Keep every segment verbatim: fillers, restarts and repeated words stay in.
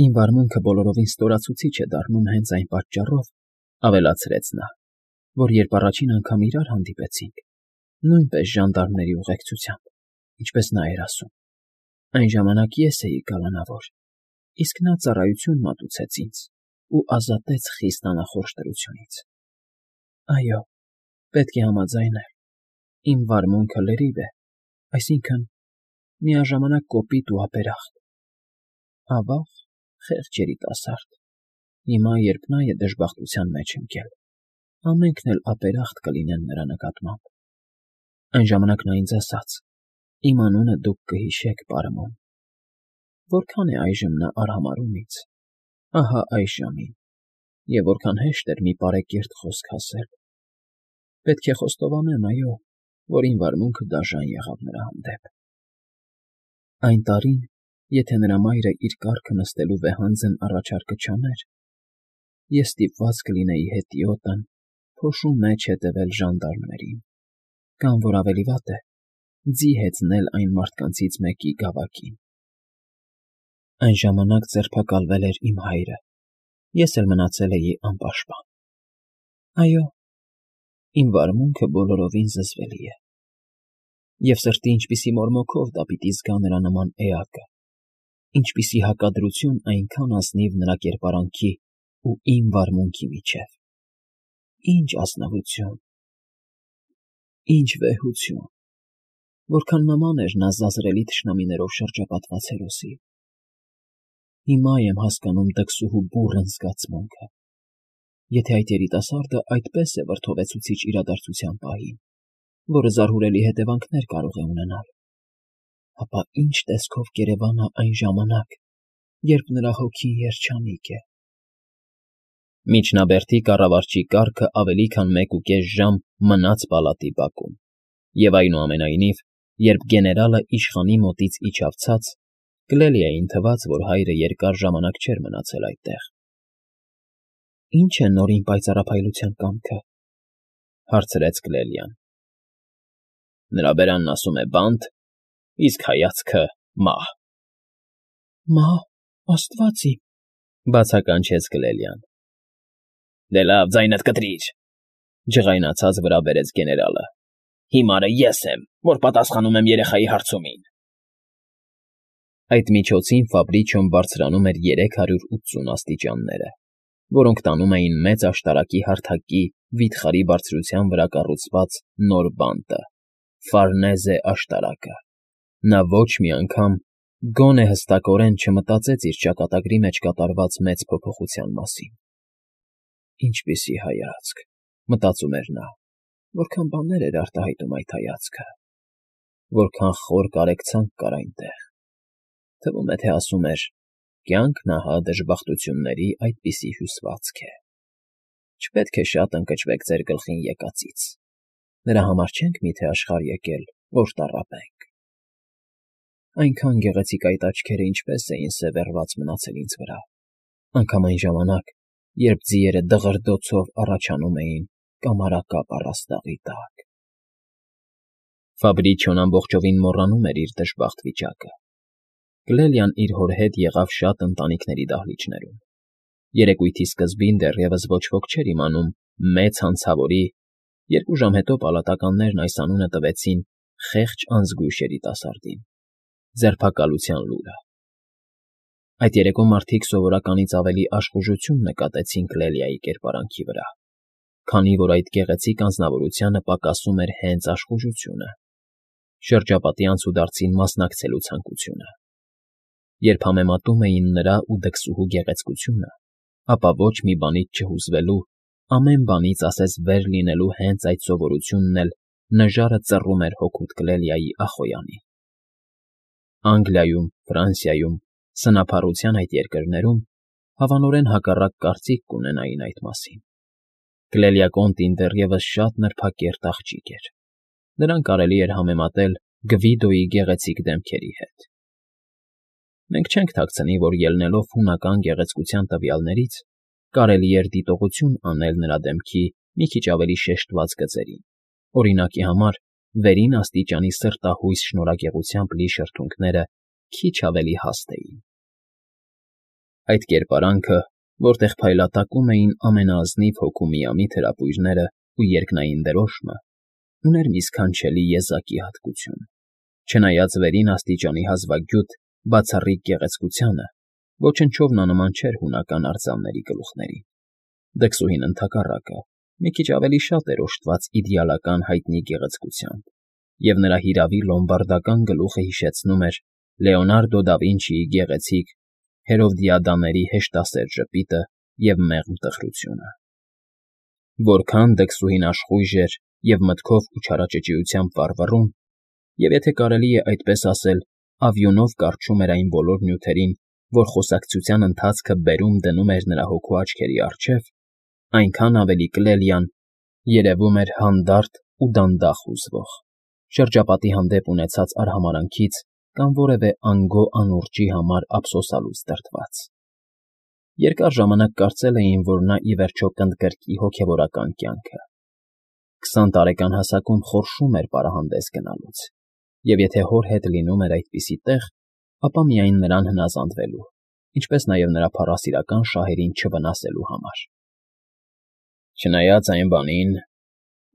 Իմ վարմունքը բոլորովին ստորացուցիչ է դառնում հենց այն պատճառով, ավելացրեց նա, որ երբ առաջին անգամ իրար հանդիպեցինք, նույնպես ժանդարմների ուղեկցությամբ, ինչպես նա էր ասում, այն ժամանակ ես էի կալանավոր, իսկ նա ծառայություն մատուցեց ինձ ու ազատեց խիստ անախորժ տրությունից։ Այո, պետք է համաձայնել, իմ վարմունքը լրիվ է, այսինքն՝ միաժամանակ կոպիտ ու ապերախտ, ավաղ, խեղճ երիտասարդ, հիմա, երբ նա է դժբախտության մեջ ընկել, ամենքն էլ ապերախտ կլինեն նրա նկատմամբ։ Այն ժամանակ նա ինձ ասաց. «Իմ անունը դուք կհիշեք, պարոն»։ Որքան է այժմ նա արհամարհում ինձ, ահա այս ժամին, և որքան հեշտ էր մի պարեկերտ խոսք ասել։ Պետք է խոստովանեմ, այո, որ իմ վարմունքը դաժան եղավ նրա հանդեպ։ Այն տարին, եթե նրա մայրը իր կառքը նստելու վեհանձն առաջարկը չաներ, ես ստիպված կլինեի հետիոտն փոշու մեջ հետևել ժանդարմներին, կամ, որ ավելի վատ է, ձի հեծնել այն մարդկանցից մեկի գավակին։ Այն ժամանակ ձերբակալվել էր իմ հայրը, ես էլ մնացել էի անպաշտպան։ Այո, իմ վարմունքը բոլորովին զզվելի է, և սրտի ինչպիսի մորմոքով դա պիտի զգա նրա նման էակը, ինչպիսի հակադրություն այնքան ազնիվ նրա կերպարանքի ու իմ վարմունքի միջև։ Ինչ ազնվություն, ինչ վեհություն, որքան նման էր նա զազրելի թշնամիներով շրջապատված հերոսի։ Հիմա եմ հասկանում դքսուհու բուռն զգացմունքը։ Եթե այդ երիտասարդը այդպես է վրդովեցուցիչ իրադարձության պահին, որը զարհուրելի հետևանքներ կարող է ունենալ, ապա ինչ տեսքով կերևանա այն ժամանակ, երբ նրա հոգին երջանիկ է։ Միջնաբերդի կառավարչի կառքը ավելի քան մեկուկես ժամ մնաց պալատի բակում, և այնուամենայնիվ, երբ գեներալը իշխանի մոտից իջավ ցած, Կլելիային թվաց, որ հայրը երկար ժամանակ չէր մնացել այդտեղ։ Ի՞նչ է նոր իմ պայծառափայլության կամքը, հարցրեց Կլելիան։ Նրա բերանն ասում է բանտ, իսկ հայացքը՝ մահ։ Մահ, աստված իմ, բացականչեց Կլելիան։ Դե լավ, ձայնդ կտրիր, ջղայնացած վրա բերեց գեներալը։ Հիմարը ես եմ, որ պատասխանում եմ երեխայի հարցումին։ Այդ միջոցին Ֆաբրիչոն բարձրանում էր երեք հարյուր ութսուն աստիճանները, որոնք տանում էին մեծ աշտարակի հարթակի վիթխարի բարձրության վրա կառուցված նոր բանտը՝ Ֆարնեզե աշտարակը։ Նա ոչ մի անգամ, գոնե հստակորեն չմտածեց իր ճակատագրի մեջ կատարված մեծ փոփոխության մասին։ Ինչպիսի հայացք, մտածում էր նա, որքան բաներ էր արտահայտում այդ հայացքը, որքան խոր կարեկցանք կար այնտեղ։ Թվում է, թե ասում էր. «Կյանքն ահա դժբախտությունների այդպիսի հյուսվածք է։ Չպետք է շատ ընկճվեք ձեր գլխին եկածից. նրա համար չենք միթե աշխարհ եկել, որ տառապենք»։ Այնքան գեղեցիկ այդ աչքերը ինչպես էին սևեռված մնացել ինձ վրա, անգամ այն ժամանակ, երբ ձիերը դղրդոցով առաջանում էին կամարակապ առաստաղի տակ։ Ֆաբրիչոն ամբողջովին մոռանում էր իր դժբախտ վիճակը։ Կլելիան իր հոր հետ եղավ շատ ընտանիքների դահլիճներում։ Երեկույթի սկզբին դեռևս ոչ ոք չէր իմանում մեծ հանցավորի, երկու ժամ հետո պալատականներն այս անունը տվեցին խեղճ անզգույշ երիտասարդին, ձերբակալության լուրը։ Այդ երեկո մարդիկ սովորականից ավելի աշխուժություն նկատեցին Կլելիայի կերպարանքի վրա, քանի որ այդ գեղեցիկ անձնավորությանը պակասում էր հենց աշխուժությունը, շրջապատի անցուդարձին մասնակցելու ցանկությունը։ Երբ համեմատում էին նրա ու դքսուհու գեղեցկությունը, ապա ոչ մի բանից չհուզվելու, ամեն բանից ասես վեր լինելու հենց այդ սովորությունն էլ նժարը ծռում էր հօգուտ Կլելիայի Ախոյանին։ Անգլիայում, Ֆրանսիայում, սնափառության այդ երկրներում հավանորեն հակառակ կարծիք կունենային այդ մասին։ Կլելիակոնտին դեռևս շատ նրբակերտ աղջիկ էր։ Նրան կարելի էր համեմատել Գվիդոյի գեղեցիկ դեմքերի հետ։ Մենք չենք թաքցնի, որ ելնելով հունական գեղեցկության տվյալներից, կարելի էր դիտողություն անել նրա դեմքի մի քիչ ավելի շեշտված գծերին, օրինակի համար վերին աստիճանի սրտահույս շնորհագեղությամբ լի շրթունքները քիչ ավելի հաստ էին։ Այդ կերպարանքը, որտեղ փայլատակում էին ամենաազնիվ հոգու միամիտ հրապույրները ու երկնային դրոշմը, ուներ մի սքանչելի եզակի հատկություն. չնայած վերին աստիճանի հազվագյուտ, բացառիկ գեղեցկությանը, ոչնչով նա նման չէր հունական արձանների գլուխներին. դքսուհին ընդհակառակը, մի քիչ ավելի շատ էր օժտված իդեալական հայտնի գեղեցկությամբ, և նրա հիրավի լոմբարդական գլուխը հիշեցնում էր Լեոնարդո դա Վինչիի գեղեցիկ Հերովդիադաների հեշտասեր ժպիտը և մեղմ տխրությունը։ Որքան դքսուհին աշխույժ էր և մտքով ու չարաճճիությամբ վառվռուն, և եթե կարելի է այդպես ասել, ավյունով կառչում էր այն բոլոր նյութերին, որ խոսակցության ընթացքը բերում դնում էր նրա հոգու աչքերի առջև, այնքան ավելի Կլելիան երևում էր հանդարտ ու դանդաղ հուզվող, շրջապատի հանդեպ ունեցած արհամարհանքից կամ որևէ անգո անուրջի համար ափսոսալուց դրդված։ Երկար ժամանակ կարծել էին, որ նա ի վերջո կընդգրկի հոգևորական կյանքը։ Քսան տարեկան հասակում խորշում էր պարահանդես գնալուց, և եթե հոր հետ լինում էր այդպիսի տեղ, ապա միայն նրան հնազանդվելու, ինչպես նաև նրա փառասիրական շահերին չվնասելու համար։ Չնայած այն բանին,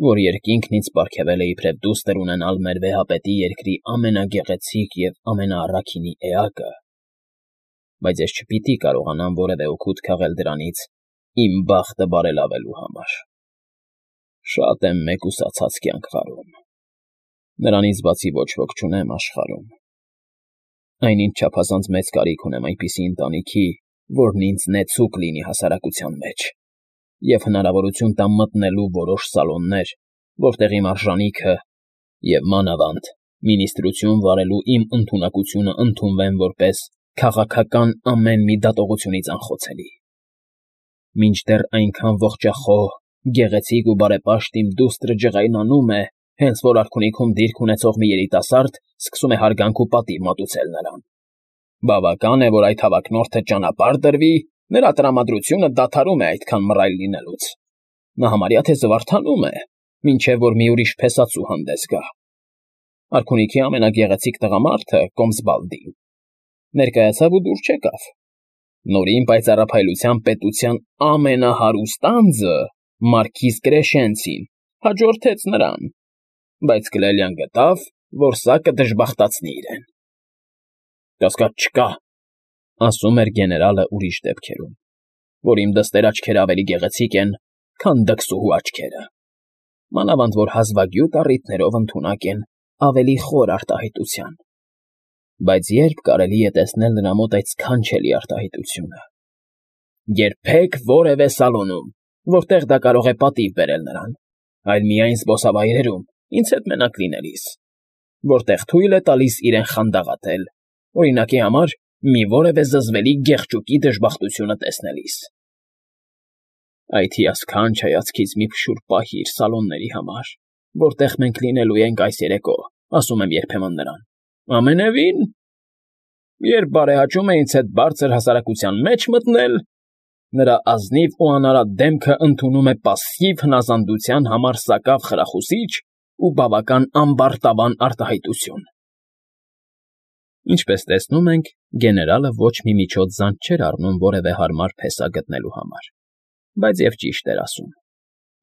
որ երկինքն ինձ պարգևել է իբրև դուստր ունենալ մեր վեհապետի երկրի ամենագեղեցիկ և ամենաառաքինի էակը, բայց ես չպիտի կարողանամ որևէ օգուտ քաղել դրանից իմ բախտը բարելավելու համար։ Շատ եմ մեկուսացած կյանք վարում, նրանից բացի ոչ ոք չունեմ աշխարհում։ Այնինչ չափազանց մեծ կարիք ունեմ այնպիսի ընտանիքի, որն ինձ նեցուկ լինի հասարակության մեջ և հնարավորություն տա մտնելու որոշ սալոններ, որտեղ իմ արժանիքը և, մանավանդ, մինիստրություն վարելու իմ ընդունակությունը ընդունվեն որպես քաղաքական ամեն մի դատողությունից անխոցելի։ Մինչդեռ այնքան ողջախոհ, գեղեցիկ ու բարեպաշտ իմ դուստրը ջղայնանում է, հենց որ արքունիքում դիրք ունեցող մի երիտասարդ սկսում է հարգանք ու պատիվ մատուցել նրան։ Բավական է, որ այդ հավակնորդը ճանապարհ դրվի, նրա տրամադրությունը դադարում է այդքան մռայլ լինելուց։ Նա համարյա թե զվարթանում է, մինչև որ մի ուրիշ փեսացու հանդես գա։ Արքունիքի ամենագեղեցիկ տղամարդը, Կոմսբալդին, ներկայացավ ու դուր չեկավ։ Նորին պայծառափայլության պետության ամենահարուստ անձը, մարքիզ Կրեշենցին, հաջորդեց նրան, բայց Կլելիան գտավ, որ սա կդժբախտացնի իրեն։ «Կասկած չկա», ասում էր գեներալը ուրիշ դեպքերում, «որ իմ դստեր աչքերը ավելի գեղեցիկ են, քան դքսուհու աչքերը, մանավանդ որ հազվագյուտ առիթներով ընդունակ են ավելի խոր արտահայտության։ Բայց ե՞րբ կարելի է տեսնել նրա մոտ այդ սքանչելի արտահայտությունը։ Երբեք որևէ սալոնում, որտեղ դա կարող է պատիվ բերել նրան, այլ միայն զբոսավայրերում, ինձ հետ մենակ լինելիս, որտեղ թույլ է տալիս իրեն խանդավառել, օրինակի համար, մի որևէ զզվելի գեղչուկի դժբախտությունը տեսնելիս։ Այդ հիասքանչ հայացքից մի փշուր պահիր սալոնների համար, որտեղ մենք լինելու ենք այս երեկո, ասում եմ երբեմն նրան, ամենևին, երբ բարեհաճում է ինձ հետ բարձր հասարակության մեջ մտնել, նրա ազնիվ ու անարատ դեմքը ընդունում է պասսիվ հնազանդության համար սակավ խրախուսիչ ու բավական ամբարտավան արտահայտություն։ Ինչպես տեսնում ենք, գեներալը ոչ մի միջոց զանց չէր առնում որևէ հարմար փեսա գտնելու համար, բայց և ճիշտ էր ասում։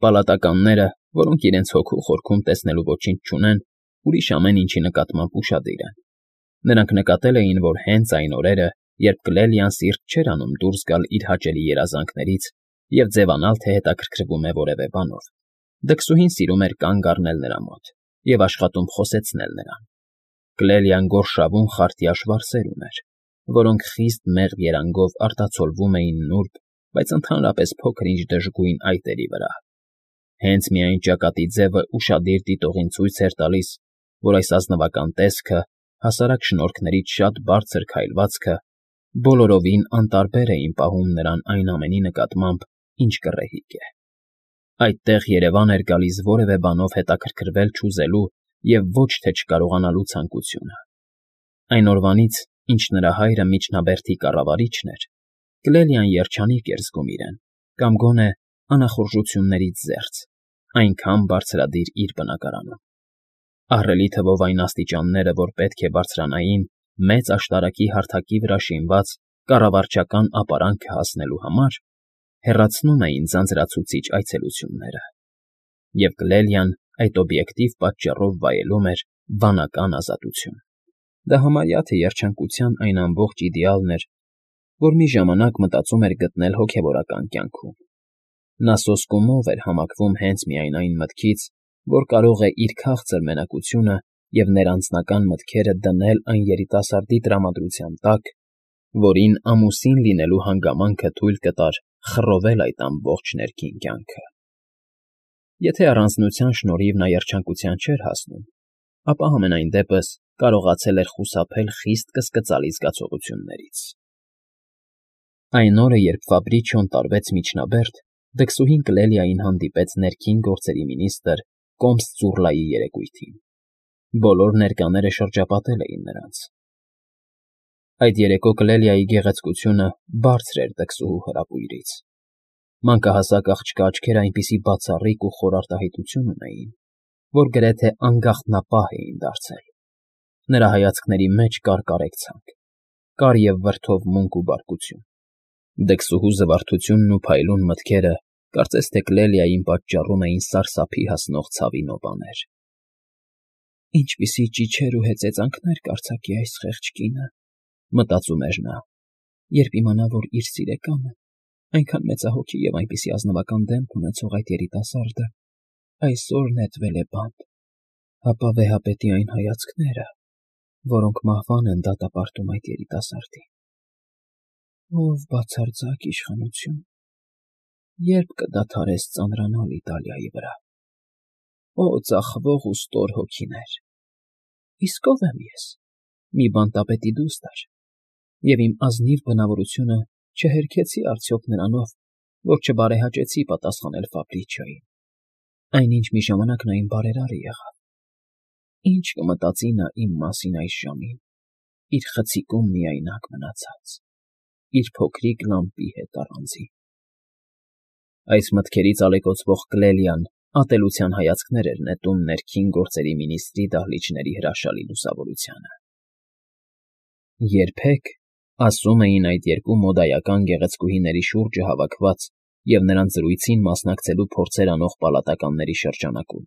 Պալատականները, որոնք իրենց հոգու խորքում տեսնելու ոչինչ չունեն, ուրիշ ամեն ինչի նկատմամբ ուշադիր են։ Նրանք նկատել էին, որ հենց այն օրերը, երբ Կլելիան սիրտ չէր անում դուրս գալ իր հաճելի երազանքներից և ձևանալ, թե հետաքրքրվում է որևէ բանով, դքսուհին սիրում էր կանգ առնել նրա մոտ և աշխատում խոսեցնել նրան։ Կլելիան գորշավուն խարտյաշ վարսեր ուներ, որոնք խիստ մեղմ երանգով արտացոլվում էին նուրբ, բայց ընդհանրապես փոքր-ինչ դժգույն այտերի վրա։ Հենց միայն ճակատի ձևը ուշադիր դիտողին ցույց էր տալիս, որ այս ազնվական տեսքը, հասարակ շնորհքներից շատ բարձր քայլվածքը բոլորովին անտարբեր էին պահում նրան այն ամենի նկատմամբ, ինչ կռեհիկ է։ Այդտեղ երևան էր գալիս որևէ բանով հետաքրքրվել չուզելու և ոչ թե չկարողանալու ցանկությունը։ Այն օրվանից, ինչ նրա հայրը միջնաբերդի կառավարիչն էր, Կլելիան երջանիկ էր զգում իրեն, կամ գոնե անախորժություններից զերծ, այնքան բարձրադիր իր բնակարանում։ Ահռելի թվով այն աստիճանները, որ պետք է բարձրանային մեծ աշտարակի հարթակի վրա շինված կառավարչական ապարանքը հասնելու համար հեռացնում էին ձանձրացուցիչ այցելությունները, և Կլելիան այդ օբյեկտիվ պատճառով վայելում էր վանական ազատություն։ Դա համարյա թե երջանկության այն ամբողջ իդեալն էր, որ մի ժամանակ մտածում էր գտնել հոգևորական կյանքում։ Նա սոսկումով էր համակվում հենց միայն այն մտքից, որ կարող է իր քաղցր մենակությունը և ներանձնական մտքերը դնել այն երիտասարդի տրամադրության տակ, որին ամուսին լինելու հանգամանքը թույլ կտար խռովել այդ ամբողջ ներքին կյանքը։ Եթե առանձնության շնորհիվ նա երջանկության չէր հասնում, ապա համենայն դեպս կարողացել էր խուսափել խիստ կսկծալի զգացողություններից։ Այն օրը, երբ Ֆաբրիչիոն տարվեց միջնաբերդ, դքսուհին Կլելիային հանդիպեց ներքին գործերի մինիստրը Կոմս Ծուռլայի երեկույթին։ Բոլոր ներկաները շրջապատել էին նրանց։ Այդ երեկո Կլելիայի գեղեցկությունը բարձր էր դքսուհու հրապույրից։ Մանկահասակ աղջկա աչքերը այնպիսի բացառիկ ու խոր արտահայտություն ունեին, որ գրեթե անգաղտնապահ էին դարձել։ Նրա հայացքների մեջ կար կարեկցանք, կար և վրդովմունք ու բարկություն։ Դքսուհու զվարթությունն ու փայլուն մտքերը կարծես թե Կլելիային պատճառում էին սարսափի հասնող ցավի նոպաներ։ «Ինչպիսի ճիչեր ու հեծեծանքներ կարձակի այս խեղճ կինը», մտածում էր նա, «երբ իմանա, որ իր սիրեկանը, այնքան մեծահոգի և այնպիսի ազնվական դեմք ունեցող այդ երիտասարդը այսօր նետվել է բանտ, հապա վեհապետի այն հայացքները, որոնք մահվան են դատապարտում այդ երիտասարդին։ Ով բացարձակ իշխանություն, երբ կդադարես ծանրանալ Իտալիայի վրա։ Օ ծախվող ու ստոր հոգիներ, իսկ ով եմ ես, մի բանտապետի դուստր, և իմ ազնիվ բնավորությունը չհերքեցի արդյոք նրանով, որ չբարեհաճեցի պատասխանել Ֆաբրիչիոյին, այնինչ մի ժամանակ նա իմ բարերարը եղավ։ Ինչ կմտածի նա իմ մասին այս ժամին, իր խցիկում միայնակ մնացած, իր փոքրիկ լամպի հետ առանձին»։ Այս մտքերից ալեկոծվող Կլելիան ատելության հայացքներ էր նետում ներքին գործերի մինիստրի դահլիճների հրաշալի լուսավորությանը։ Երբեք, ասում էին այդ երկու մոդայական գեղեցկուհիների շուրջը հավաքված և նրանց զրույցին մասնակցելու փորձեր անող պալատականների շրջանակում,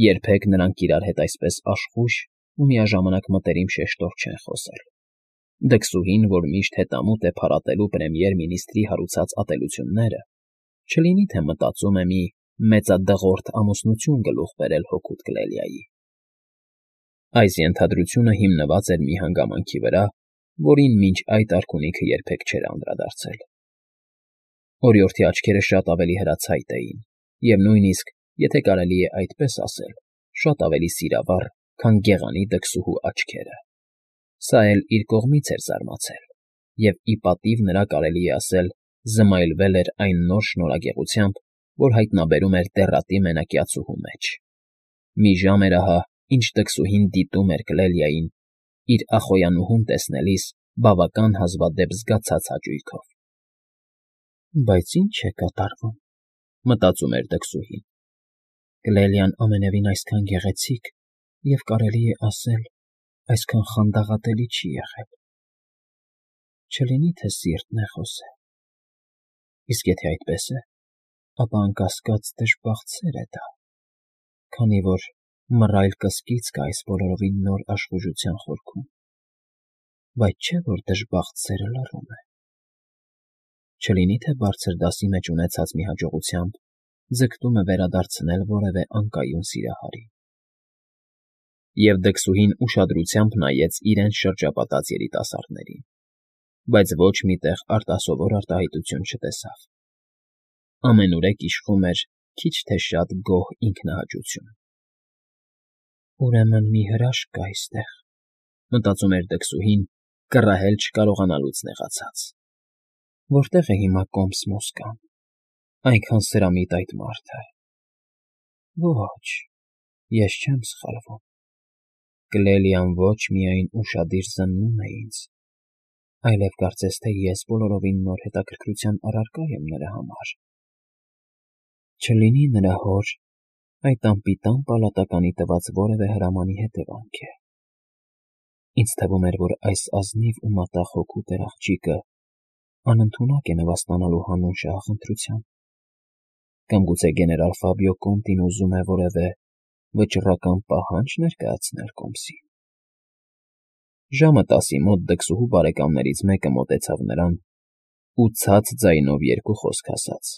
երբեք նրանք իրար հետ այսպես աշխույժ ու միաժամանակ մտերիմ շեշտով չեն խոսել։ Դքսուհին, որ միշտ հետամուտ է փարատելու պրեմիեր֊մինիստրի հարուցած ատելությունները, չլինի թե մտածում է մի մեծադղորդ ամուսնություն գլուխ բերել հօգուտ Կլելիայի։ Այս ենթադրությունը հիմնված էր մի հանգամանքի վրա, որին մինչ այդ արքունիքը երբեք չէր անդրադարձել։ Օրիորդի աչքերը շատ ավելի հրացայտ էին և նույնիսկ, եթե կարելի է այդպես ասել, շատ ավելի սիրավառ, քան գեղանի դքսուհու աչքերը։ Սա էլ իր կողմից էր զարմացել, և ի պատիվ նրա կարելի է ասել զմայլվել էր այն նոր շնորհագեղությամբ, որ հայտնաբերում էր դեռատի մենակյացուհու մեջ։ Մի ժամ էր ահա, ինչ դքսուհին դիտում էր Կլելիային, իր ախոյանուհուն տեսնելիս բավական հազվադեպ զգացած հաճույքով։ «Բայց ի՞նչ է կատարվում», մտածում էր դքսուհին։ «Կլելիան ամենևին այսքան գեղեցիկ և, կարելի է ասել, այսքան խանդաղատելի չի եղել։ Չլինի թե սիրտն է խոսել։ Իսկ եթե այդպես է, ապա անկասկած դժբախտ սեր է դա, քանի որ մռայլ կսկիծ կա այս բոլորովին նոր աշխուժության խորքում, բայց չէ՞ որ դժբախտ սերը լռում է։ Չլինի թե բարձր դասի մեջ ունեցած մի հաջողությամբ ձգտում է վերադարձնել որևէ անկայուն սիրահարին»։ Եվ դքսուհին ուշադրությամբ նայեց իրենց շրջապատած երիտասարդներին, բայց ոչ մի տեղ արտասովոր արտահայտություն չտեսավ։ Ամենուրեք իշխում էր քիչ թե շատ գոհ ինքնահաճություն։ «Ուրեմն մի հրաշք կա այստեղ», մտածում էր դքսուհին, կռահել չկարողանալուց նեղացած։ «Որտե՞ղ է հիմա Կոմս Մոսկան, այնքան սրամիտ այդ մարդը։ Ոչ, ես չեմ սխալվում, Կլելիան ոչ միայն ուշադիր զննում է ինձ, այլև կարծես թե ես բոլորովին նոր հետաքրքրության առարկա եմ նրա համար։ Չլինի նրա հոր այդ անպիտան պալատականի տված որևէ հրամանի հետևանք է։ Ինձ թվում էր, որ այս ազնիվ ու մատաղ հոգու տեր աղջիկը անընդունակ է նվաստանալու հանուն շահախնդրության, կամ գուցե գեներալ Ֆաբիո Կոնտին ուզում է որևէ վճռական պահանջ ներկայացնել կոմսին։ Ժամը տասի մոտ դքսուհու բարեկամներից մեկը մոտեցավ նրան ու ցած ձայնով երկու խոսք ասաց։